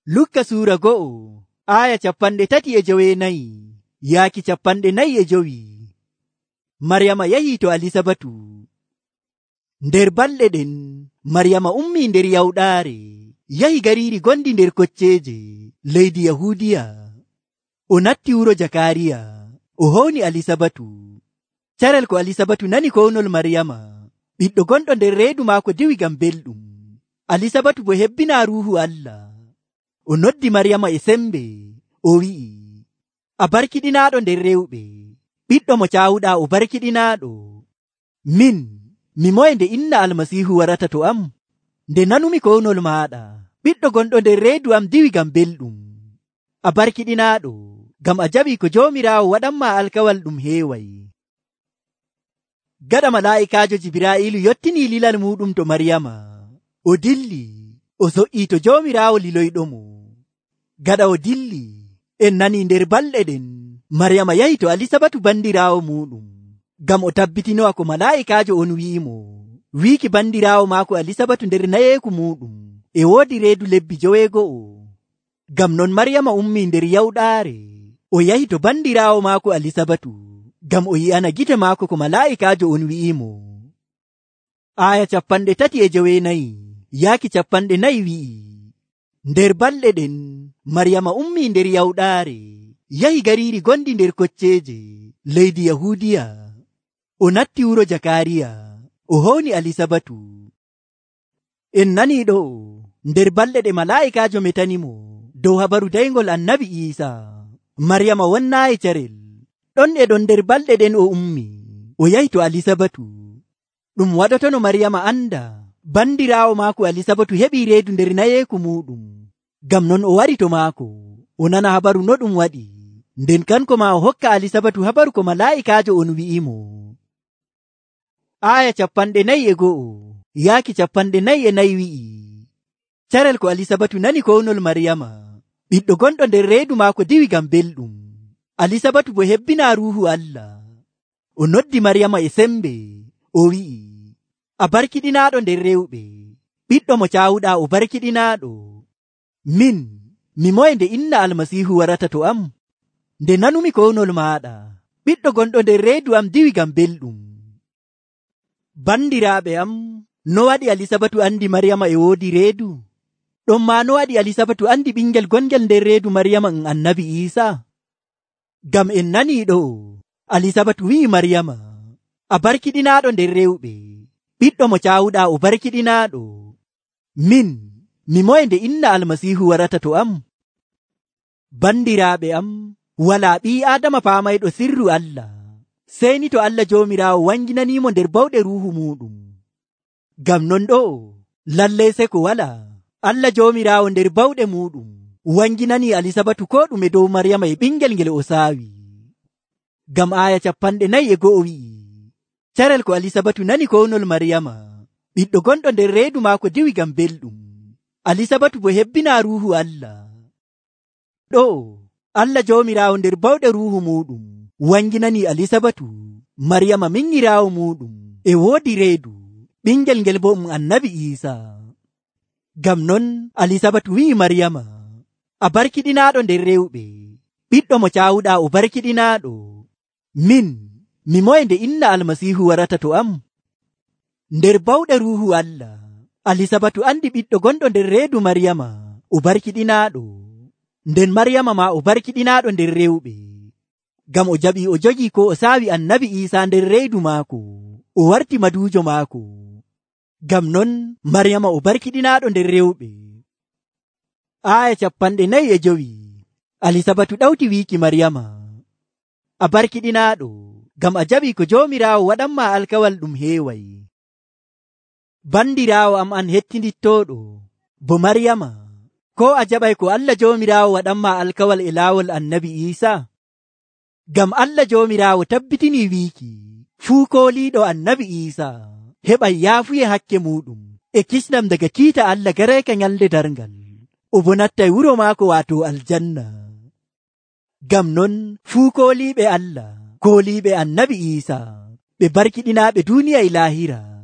Lukka suura 1 aya 34 yaaki 45. Maryama yahii to Alisabatu. Nder balɗe ɗen Maryama ummii nder yawɗaare yahi gariiri gondi nder kocceeje leydi Yahuudiya. O natti wuro Jakariya, o howni Alisabatu. Carel ko Alisabatu nani kownol Maryama, ɓiɗɗo gonɗo nder reedu maako diwi ngam belɗum. Alisabatu bo hebbinaa Ruuhu Allah. O noddi Maryama e sembe, o wi'i, a barkiɗinaaɗo nder rewɓe, ɓiɗɗo mo caawuɗaa o barkiɗinaaɗo. Min, mi moye nde inna Almasiihu warata to am? Nde nanumi kownol maaɗa, ɓiɗɗo gonɗo nder reedu am diwi ngam belɗum. A barkiɗinaaɗo, ngam a jaɓii ko Joomiraawo waɗanmaa alkawal ɗum heeway. Gaɗa malaa'ikaajo Jibraa'iilu yottinii lilal muuɗum to Maryama, o dilli, o so''ii to Joomiraawo liloyɗomo. Gaɗa o dilli, en nanii nder balɗe ɗen Maryama yahi to Alisabatu bandiraawo muuɗum, ngam o tabbitinowa ko malaa'ikaajo on wi'imo. Wiiki bandiraawo maako Alisabatu nder nayeeku muuɗum e woodi reedu lebbi 9. Ngam non Maryama ummii nder yawɗaare, o yahi to bandiraawo maako Alisabatu, ngam o yi'ana gite maako ko malaa'ikaajo on wi'imo. Aya 39 yaaki 40 wi'i, nder balɗe ɗen Maryama ummii nder yawɗaare yahi gariiri gondi nder kocceeje leydi Yahuudiya. O natti wuro Jakariya, o howni Alisabatu. En nanii ɗo nder balɗe ɗe malaa'ikaajo metanimo dow habaru dayngol annabi Iisa. Maryama wonnaayi carel, ɗon e ɗon nder balɗe ɗen o ummi, o yahi to Alisabatu. Ɗum waɗotono Maryama anda bandiraawo maako Alisabatu heɓii reedu nder nayeeku muuɗum. Ngam non o wari to maako, o nana habaru no ɗum waɗi, nden kanko ma o hokka Alisabatu habaru ko malaa'ikaajo on wi'imo. Aya 41 yaaki 44 wi'i, carel ko Alisabatu nani kownol Maryama, ɓiɗɗo gonɗo nder reedu maako diwi ngam belɗum. Alisabatu bo hebbinaa Ruuhu Allah. O noddi Maryama e sembe, o wi'i, a barkiɗinaaɗo nder rewɓe, ɓiɗɗo mo caawuɗaa o barkiɗinaaɗo. Min, mi moye nde inna Almasiihu warata to am? Nde nanumi kownol maaɗa, ɓiɗɗo gonɗo nder reedu am diwi ngam belɗum. Bandiraaɓe am, no waɗi Alisabatu andi Maryama e woodi reedu? Ɗon maa no waɗi Alisabatu andi ɓingel gongel nder reedu Maryama annabi Iisa? Ngam en nanii ɗo, Alisabatu wi'i Maryama, a barkiɗinaaɗo nder rewɓe, ɓiɗɗo mo caawuɗaa o barkiɗinaaɗo. Min, mi moye nde inna Almasiihu warata to am? Bandiraaɓe am, walaa ɓii Aadama paamayɗo sirru Allah, sey ni to Allah Joomiraawo wanginaniimo nder bawɗe Ruuhu muuɗum. Ngam non ɗo, lallay seko walaa, Allah Joomiraawo nder bawɗe muuɗum wanginanii Alisabatu ko ɗume dow Maryama e ɓingel ngel o saawi. Ngam aya 41 wi'i, carel ko Alisabatu nani kownol Maryama, ɓiɗɗo gonɗo nder reedu maako diwi ngam belɗum. Alisabatu bo hebbinaa Ruuhu Allah. Ɗo, Allah Joomiraawo nder bawɗe Ruuhu muuɗum wanginanii Alisabatu, Maryama minyiraawo muuɗum, e woodi reedu, ɓingel ngel bo annabi Iisa. Ngam non Alisabatu wi'i Maryama, a barkiɗinaaɗo nder rewɓe, ɓiɗɗo mo caawuɗaa o barkiɗinaaɗo. Min, mi moye nde inna Almasiihu warata to am? Nder bawɗe Ruuhu Allah, Alisabatu andi ɓiɗɗo gonɗo nder reedu Maryama o barkiɗinaaɗo, nden Maryama ma o barkiɗinaaɗo nder rewɓe. Ngam o jaɓii o jogii ko o saawi annabi Iisa nder reedu maako, o warti maduujo maako. Ngam non Maryama o barkiɗinaaɗo nder rewɓe. Aya 45 Alisabatu ɗawti wiiki Maryama, a barkiɗinaaɗo, ngam a jaɓii ko Joomiraawo waɗanmaa alkawal ɗum heeway. Bandiraawo am an hettindittooɗo, bo Maryama, ko a jaɓay ko Allah Joomiraawo waɗanmaa alkawal e laawol annabi Iisa? Ngam Allah Joomiraawo tabbitinii wiiki, fuu kooliiɗo annabi Iisa heɓay yaafuye hakke muuɗum e kisnam daga kiita Allah gareeka nyalde darngal, o bo nattay wuro maako waato aljanna. Ngam non fuu kooliiɓe Allah, kooliiɓe annabi Iisa, ɓe barkiɗinaaɓe duuniya e laahira.